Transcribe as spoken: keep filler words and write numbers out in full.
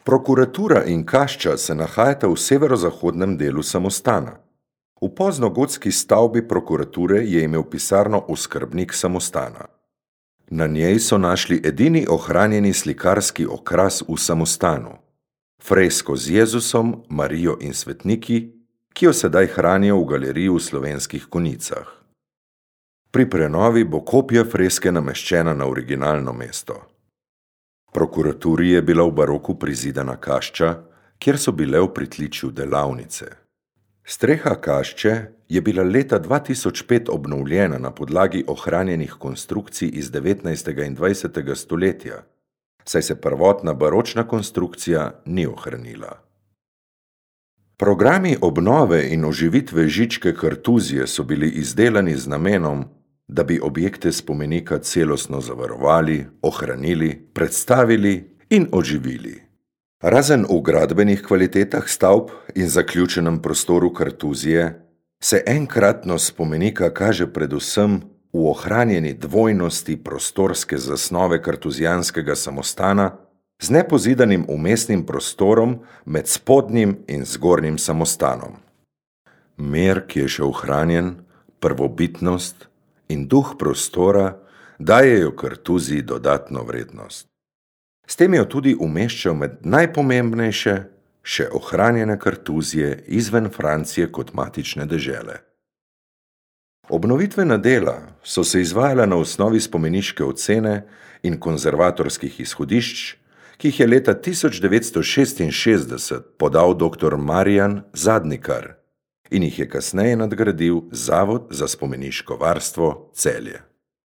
Prokuratura in kašča se nahajata v severozahodnem delu samostana. V poznogotski stavbi prokurature je imel pisarno oskrbnik samostana. Na njej so našli edini ohranjeni slikarski okras v samostanu. Fresko z Jezusom, Marijo in svetniki, ki jo sedaj hranijo v galeriji v Slovenskih Konjicah. Pri prenovi bo kopija freske nameščena na originalno mesto. Prokuraturi je bila v baroku prizidana kašča, kjer so bile v pritličju delavnice. Streha kašče je bila leta dva tisoč pet obnovljena na podlagi ohranjenih konstrukcij iz devetnajstega in dvajsetega stoletja, saj se prvotna baročna konstrukcija ni ohranila. Programi obnove in oživitve Žičke kartuzije so bili izdelani z namenom, da bi objekte spomenika celostno zavarovali, ohranili, predstavili in oživili. Razen v gradbenih kvalitetah stavb in zaključenem prostoru kartuzije, se enkratno spomenika kaže predvsem v ohranjeni dvojnosti prostorske zasnove kartuzijanskega samostana z nepozidanim vmesnim prostorom med spodnjim in zgornjim samostanom. Mir, ki je še ohranjen, prvobitnost in duh prostora dajejo kartuziji dodatno vrednost. S tem jo tudi umeščal med najpomembnejše, še ohranjene kartuzije izven Francije kot matične dežele. Obnovitvena dela so se izvajala na osnovi spomeniške ocene in konzervatorskih izhodišč, ki jih je leta tisoč devetsto šestinšestdeset podal doktor Marijan Zadnikar in jih je kasneje nadgradil Zavod za spomeniško varstvo Celje.